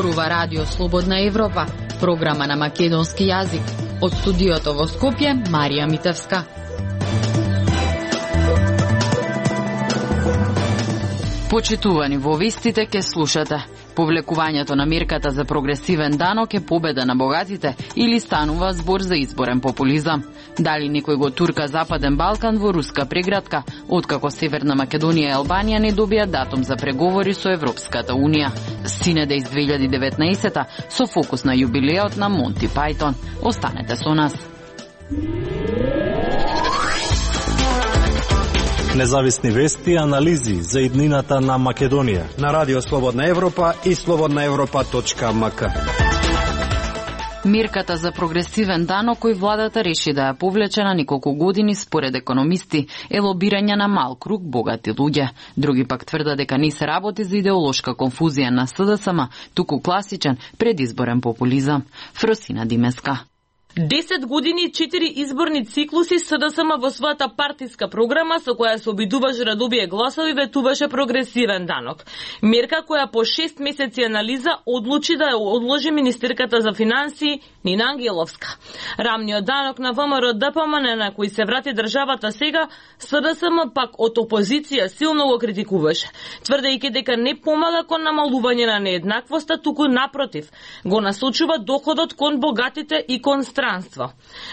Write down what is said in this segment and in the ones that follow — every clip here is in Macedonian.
зборува Радио Слободна Европа, програма на македонски јазик. Од студиото во Скопје, Марија Митевска. Почитувани во вестите ке слушате. Повлекувањето на мерката за прогресивен данок е победа на богатите или станува збор за изборен популизам? Дали некој го турка Западен Балкан во руска преградка, откако Северна Македонија и Албанија не добија датум за преговори со Европската Унија? Синеде из 2019 со фокус на јубилеот на Монти Пајтон. Останете со нас. Независни вести и анализи за иднината на Македонија на Радио Слободна Европа и slobodnaevropa.mk. Мерката за прогресивен данок кој владата реши да ја повлече на неколку години според економисти е лобирање на мал круг богати луѓе. Други пак тврдат дека не се работи за идеолошка конфузија на СДСМ, туку класичен предизборен популизам. Фросина Димеска. 10 години и 4 изборни циклуси СДСМ во својата партиска програма со која се обидуваше да добие гласови ветуваше прогресивен данок. Мерка која по 6 месеци анализа одлучи да ја одложи министерката за финансии Нина Ангеловска. Рамниот данок на ВМРО ДПМН на кој се врати државата сега, СДСМ пак од опозиција силно го критикуваше, тврдејќи дека не помага кон намалување на нееднаквоста, туку напротив, го насочува доходот кон богатите и кон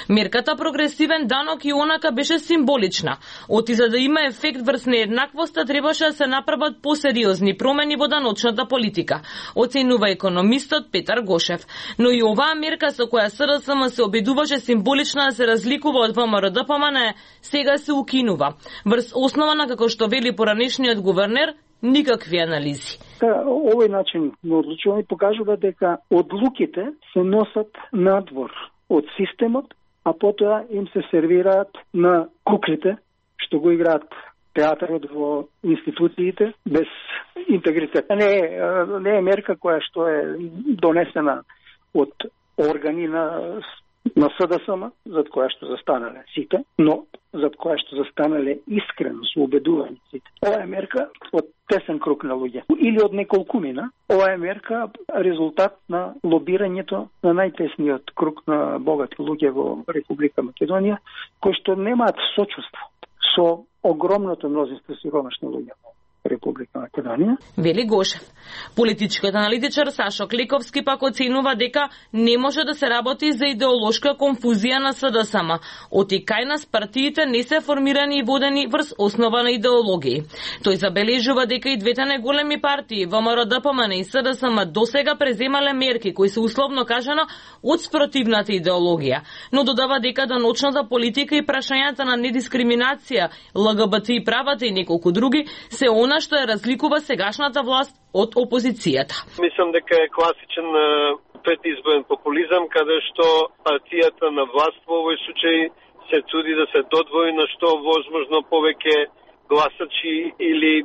Мерката прогресивен данок и онака беше символична. Оти за да има ефект врз нееднаквоста требаше да се направат посериозни промени во даночната политика, оценува економистот Петар Гошев. Но и оваа мерка со која СДСМ се обидуваше символична да се разликува од ВМРО ДПМН, сега се укинува. Врз основа на, како што вели поранешниот гувернер, никакви анализи. Овој начин на одлучување покажува дека одлуките се носат надвор од системот, а потоа им се сервираат на куклите што го играат театарот во институциите без интегритет. Не е мерка која што е донесена од органи на СДСМ, зад која што застанале сите, но зад која што застанале искрено со убедување сите. Ова е мерка од тесен круг на луѓе или од неколкумина. Ова е мерка резултат на лобирањето на најтесниот круг на богати луѓе во Република Македонија, кои што немаат сочувство со огромното мнозинство сиромашни луѓе во Република Македонија. Вели Гошев. Политичкиот аналитичар Сашо Кликовски пак оценува дека не може да се работи за идеолошка конфузија на СДСМ. Оти кај нас партиите не се формирани и водени врз основа на идеологии. Тој забележува дека и двете најголеми партии, ВМРО ДПМН и СДСМ, досега преземале мерки кои се условно кажано од спротивната идеологија, но додава дека даночната политика и прашањата на недискриминација, ЛГБТ и правата и неколку други се она што ја разликува сегашната власт од опозицијата. Мислам дека е класичен предизборен популизам, каде што партијата на власт во овој случај се труди да се додвори на што возможно повеќе гласачи или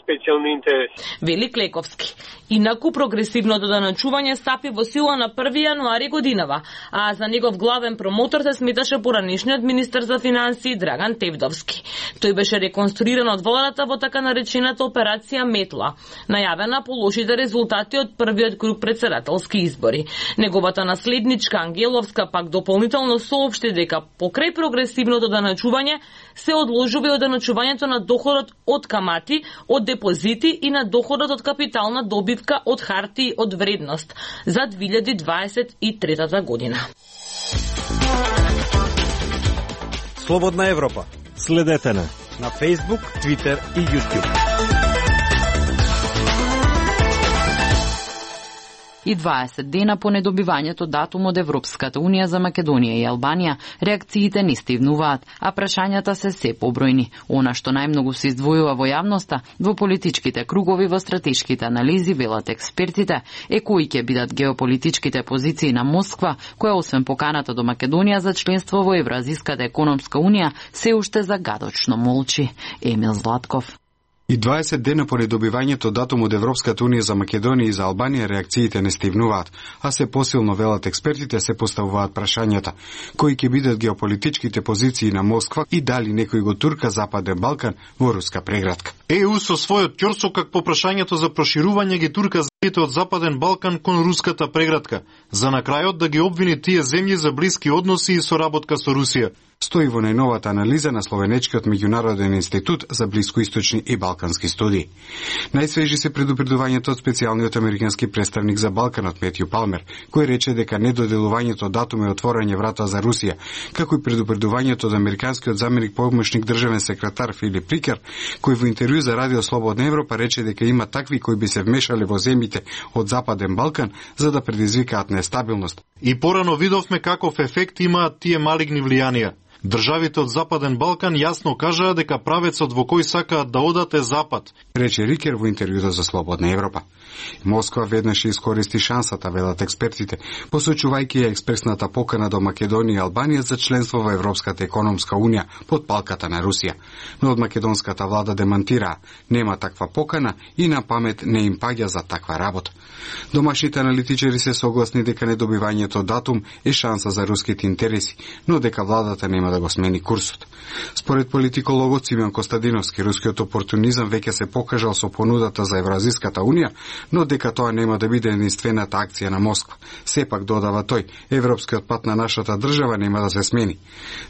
специјални интереси. Вели Клековски. Инаку прогресивното даначување стапи во сила на 1 јануари годинава, а за негов главен промотор се сметаше поранешниот министер за финансии Драган Тевдовски. Тој беше реконструиран од владата во така наречената операција Метла, најавена по лошите резултати од првиот круг претседателски избори. Неговата наследничка Ангеловска пак дополнително соопшти дека покрај прогресивното даначување се одложува и оданачувањето на доходот од камати, од депозити и на доходот од капитална добивка од хартии од вредност за 2023 година. Слободна Европа. Следете на Facebook, Twitter и YouTube. И 20 дена по недобивањето датум од Европската Унија за Македонија и Албанија, реакциите не стивнуваат, а прашањата се побројни. Она што најмногу се издвојува во јавноста, во политичките кругови, во стратешките анализи, велат експертите, е кои ќе бидат геополитичките позиции на Москва, која освен поканата до Македонија за членство во Евразиската економска унија, се уште загадочно молчи. Емил Златков. И 20 дена по недобивањето датум од Европската Унија за Македонија и за Албанија реакциите не стивнуваат, а се посилно велат експертите се поставуваат прашањата, кои ќе бидат геополитичките позиции на Москва и дали некој го турка Западен Балкан во руска преградка. ЕУ со својот ќорсокак по прашањето за проширување ги турка од Западен Балкан кон руската преградка, за на крајот да ги обвини тие земји за блиски односи и соработка со Русија. Стои во најновата анализа на Словенечкиот меѓународен институт за блискоисточни и балкански студии. Најсвежи се предупредувањето од специјалниот американски представник за Балканот Метју Палмер, кој рече дека недоделувањето датум е отворање врата за Русија, како и предупредувањето од американскиот заменик помошник државен секретар Филип Рикер, кој во интервју за Радио Слободна Европа рече дека има такви кои би се вмешале во земјите од Западен Балкан за да предизвикаат нестабилност. И порано видовме каков ефект имаат тие малигни влијанија. Државите од Западен Балкан јасно кажаа дека правецот во кој сакаат да одат е Запад, рече Рикер во интервјуто за Слободна Европа. Москва веднаш искористи шансата, велат експертите, посочувајќи ја експресната покана до Македонија и Албанија за членство во Европската економска унија под палката на Русија. Но од македонската влада демантираа, нема таква покана и на памет не им паѓа за таква работа. Домашните аналитичари се согласни дека недобивањето датум е шанса за руските интереси, но дека владата нема да го смени курсот. Според политикологот Симеон Костадиновски, рускиот опортунизам веќе се покажал со понудата за Евразиската унија, но дека тоа нема да биде единствената акција на Москва. Сепак, додава тој, европскиот пат на нашата држава нема да се смени.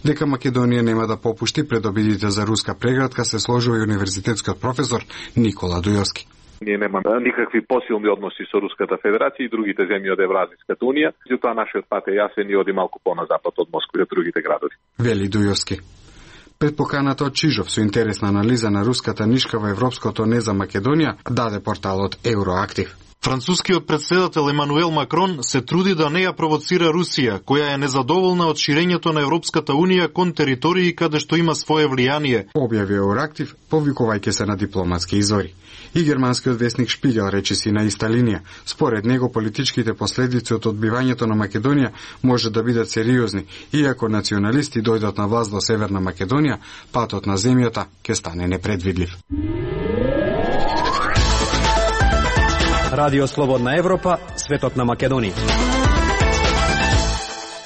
Дека Македонија нема да попушти пред обидите за руска преградка се сложува и универзитетскиот професор Никола Дујовски. Ние немаме никакви посилни односи со Руската Федерација и другите земји од Евразиската унија, затоа нашиот пат е јасен и оди малку по-на-запад од Москва и од другите градови. Вели Дујовски. Пред поканата од Чижов со интересна анализа на руската нишка во европското не за Македонија, даде порталот Евроактив. Францускиот председател Емануел Макрон се труди да не ја провоцира Русија, која е незадоволна од ширењето на Европската унија кон територии каде што има свое влијание, објави Евроактив, повикувајќи се на дипломатски извори. И германскиот весник Шпигел рече си на иста линија. Според него политичките последици од одбивањето на Македонија може да бидат сериозни, иако националисти дојдат на власт во Северна Македонија, патот на земјата ќе стане непредвидлив. Радио Слободна Европа, светот на Македонија.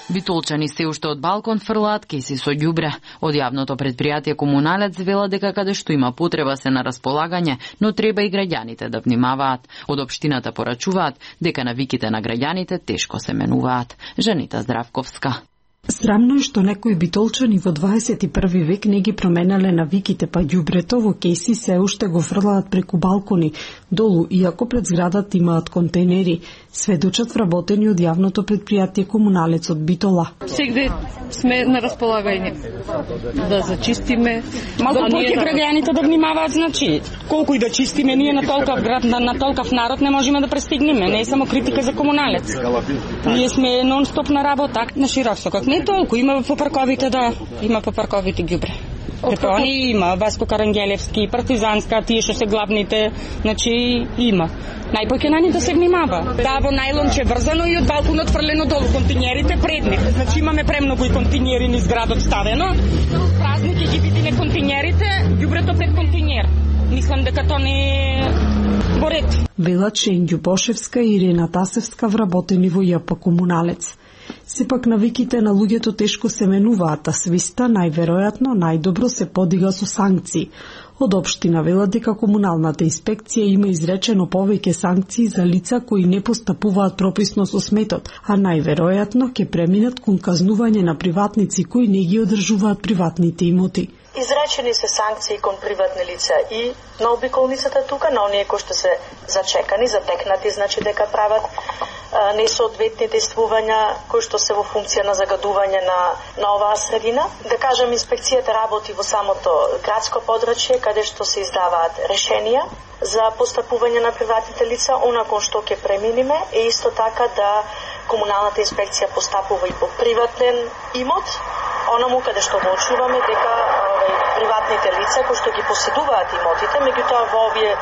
Битолчани се уште од балкон фрлаат кеси со ѓубре. Од јавното предпријатие Комуналец вела дека каде што има потреба се на располагање, но треба и граѓаните да внимаваат. Од општината порачуваат дека навиките на граѓаните тешко се менуваат. Жанита Здравковска. Срамно е што некои битолчани во 21 век не ги променале навиките, па ѓубрето во кеси се уште го фрлаат преку балкони, долу, иако пред зградата имаат контейнери, сведочат вработени од јавното предпријатие Комуналец од Битола. Сегде сме на располагање да зачистиме. Малку повеќе граѓаните да внимаваат, значи, колку и да чистиме, ние на толков град, на толков народ не можеме да престигнеме, не е само критика за Комуналец. Ние сме нон-стоп на работа, на широк сокак. Не толку, има по парковите, да, има по парковите ѓубре. Депони има, Васко Карангелевски, Партизанска, тие што се главните, значи има. Најпоќе на ни да се внимава. Да, во најлонче врзано и од балконот фрлено долу континерите предни. Значи имаме премногу и континери низ градот ставено. Празни ќе ги видиме континерите, ѓубрето пред континер. Мислам дека тоа не е во ред. Велат Шењу Бошевска и Ирена Тасевска вработени во ЈП Комуналец. Сепак навиките на луѓето тешко се менуваат, а свиста најверојатно најдобро се подига со санкции. Од општина велат дека комуналната инспекција има изречено повеќе санкции за лица кои не постапуваат прописно со сметот, а најверојатно ќе преминат кон казнување на приватници кои не ги одржуваат приватните имоти. Изречени се санкции кон приватни лица и на обиколницата тука, на оние кои што се зачекани, затекнати, значи дека прават несоодветни действувања кои што се во функција на загадување на оваа средина. Да кажам, инспекцијата работи во самото градско подрачје, каде што се издаваат решенија за постапување на приватните лица, онакон што ќе преминиме, е исто така да комуналната инспекција постапува и по приватен имот, онаму каде што го очуваме дека приватните лица кои што ги поседуваат имотите, меѓутоа во овие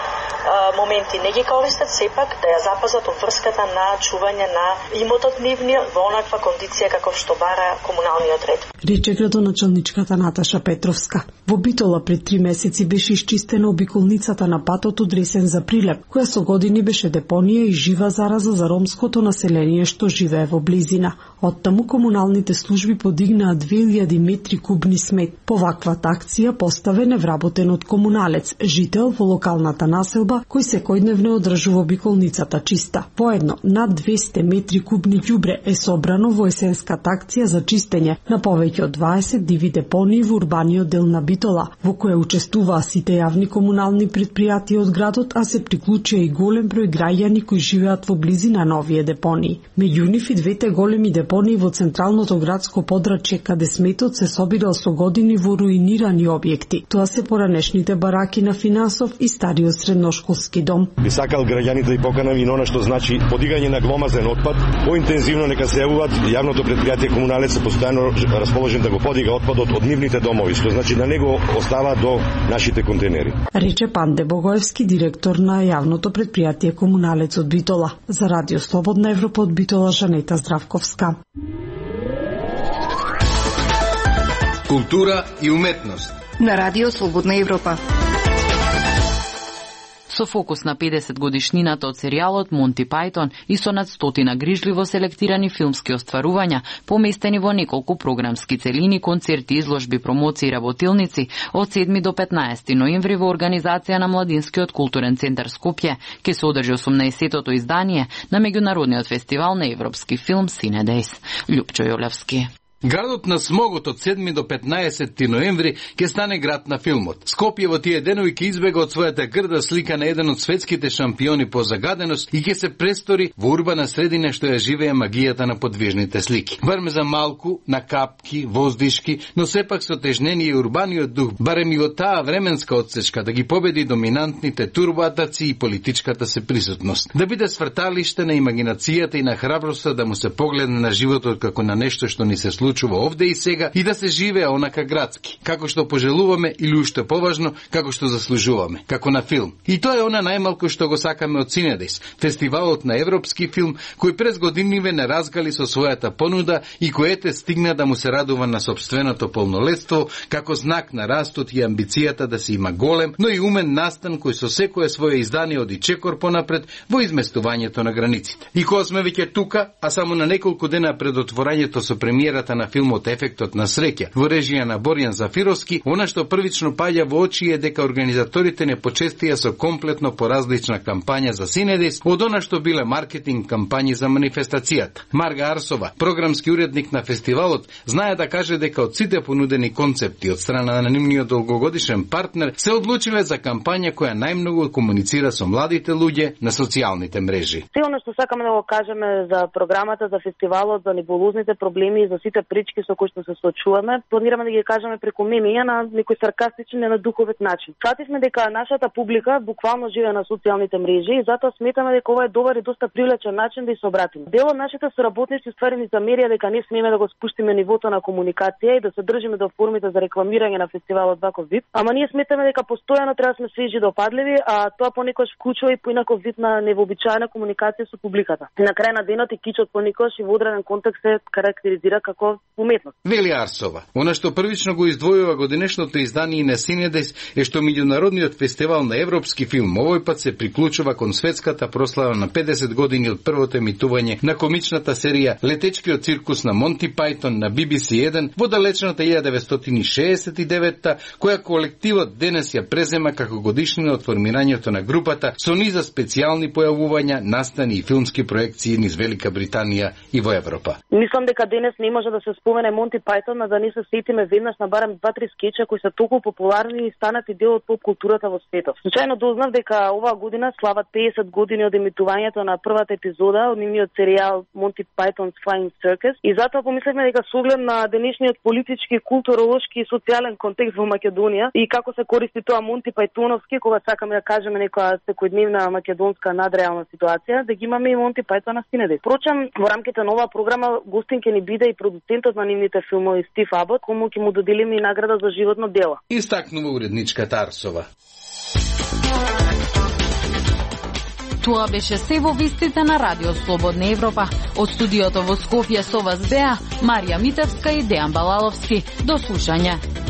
моменти не ги користат, сепак да ја запазат обврската на чување на имотот нивниот во онаква кондиција како што бара комуналниот ред. Рече градоначалничката Наташа Петровска. Во Битола пред 3 месеци беше исчистена обиколницата на патот одресен за Прилеп, која со години беше депонија и жива зараза за ромското население што живее во близина. Оттаму комуналните служби подигнаа 2000 метри кубни смет. По ваквата акција си ја поставе невработен од комуналец, жител во локалната населба, кој секојдневно одржува обиколницата чиста. Поедно, над 200 метри кубни ѓубре е собрано во есенската акција за чистење на повеќе од 20 диви депонии во урбаниот дел на Битола, во која учествуваа сите јавни комунални предпријатија од градот, а се приклучија и голем број граѓани кои живеат во близина на овие депонии. Меѓу нив и двете големи депонии во централното градско подрачје, каде сметот се собирал со години во руинирани објекти. Тоа се поранешните бараки на Финансов и стариот средношколски дом. Би сакал граѓаните да поканам и на она што значи подигање на гломазен отпад, поинтензивно нека се јавуваат. Јавното предпријатие Комуналец е постојано расположен да го подига отпадот од нивните домови, што значи да не го остава до нашите контейнери. Рече Панде Богоевски, директор на јавното предпријатие Комуналец од Битола. За Радио Слободна Европа од Битола, Жанета Здравковска. Култура и уметност на Радио Слободна Европа. Со фокус на 50 годишнината од серијалот Монти Пајтон и со над 100 грижливо селектирани филмски остварувања, поместени во неколку програмски целини, концерти, изложби, промоции и работилници, од 7 до 15 ноември во организација на Младинскиот културен центар Скопје ќе се одржи 18-тото издание на меѓународниот фестивал на европски филм Синедејс. Љупчо Јолевски. Градот на смогот од 7 до 15 ноември ќе стане град на филмот. Скопје во тие денови ќе избега од својата грда слика на еден од светските шампиони по загаденост и ќе се престори во урбана средина што ја живее магијата на подвижните слики. Барем за малку, на капки, воздишки, но сепак со тежнение и урбаниот дух, барем и во таа временска отсечка да ги победи доминантните турбоатаци и политичката се присутност. Да биде сврталиште на имагинацијата и на храброста да му се погледне на животот како на нешто што ни се случува овде и сега и да се живее онака градски, како што пожелуваме или уште поважно, како што заслужуваме, како на филм. И тоа е она најмалку што го сакаме од Синедејс, фестивалот на европски филм, кој през годиниве не разгали со својата понуда и којете стигна да му се радува на собственото полнолетство, како знак на растот и амбицијата да се има голем, но и умен настан кој со секое своје издание оди чекор понапред во изместувањето на границите. И кога сме веќе тука, а само на неколку дена пред отворањето со премиерата на филмот Ефектот на среќа во режија на Борјан Зафировски, она што првично паѓа во очи е дека организаторите не почестија со комплетно поразлична кампања за Синедејс од она што биле маркетинг кампањи за манифестацијата. Марга Арсова, програмски уредник на фестивалот, знае да каже дека од сите понудени концепти од страна на нивниот долгогодишен партнер се одлучиле за кампања која најмногу комуницира со младите луѓе на социјалните мрежи. Се она што сакаме да го кажеме за програмата, за фестивалот, за небулозните проблеми и за сите прички со кои што се соочуваме, планираме да ги кажеме преку мемија на некој саркастичен и на духовит начин. Фативме дека нашата публика буквално живее на социјалните мрежи и затоа сметаме дека ова е добар и доста привлечен начин да се обратиме. Дел од нашите соработници ствари ни замерија дека не смееме да го спуштиме нивото на комуникација и да се држиме до формите за рекламирање на фестивалот ваков вид, ама ние сметаме дека постојано треба да сме свежи и допадливи, а тоа понекогаш вклучува и поинаков вид на невообичаена комуникација со публиката. На крај на денот и кичот понекогаш и во одреден контекст се карактеризира како уметност. Вели Арсова, она што првично го издвојува годинешното издание на Синедејс е што меѓународниот фестивал на европски филм овој пат се приклучува кон светската прослава на 50 години од првото емитување на комичната серија Летечкиот циркус на Монти Пајтон на BBC1 во далечната 1969-та, која колективот денес ја презема како годишнина од формирањето на групата со низа специјални појавувања, настани и филмски проекции низ Велика Британија и во Европа. Мислам дека денес не може да се спомене Монти Пајтон, а да не се сетиме веднаш на барем 2-3 скеча кои се толку популарни и станати дел од поп културата во светот. Случајно дознав дека оваа година слават 50 години од емитувањето на првата епизода од нивниот серијал Monty Python's Flying Circus и затоа помисливме дека со оглед на денешниот политички, културолошки и социјален контекст во Македонија и како се користи тоа Монти Пајтоновски кога сакаме да кажеме некоја секојдневна македонска надреална ситуација, да ги имаме и Монти Пајтон на Синедејс. Впрочем, во рамките на оваа програма гостин ќе ни биде и продуцентот на нивните филмови Стив Абот, кому ќе му доделиме и награда за животно дело. Истакнува уредничката Арсова. Тоа беше се во вестите на Радио Слободна Европа. Од студиото во Скопје со вас беа Марија Митевска и Дејан Балаловски. До слушање.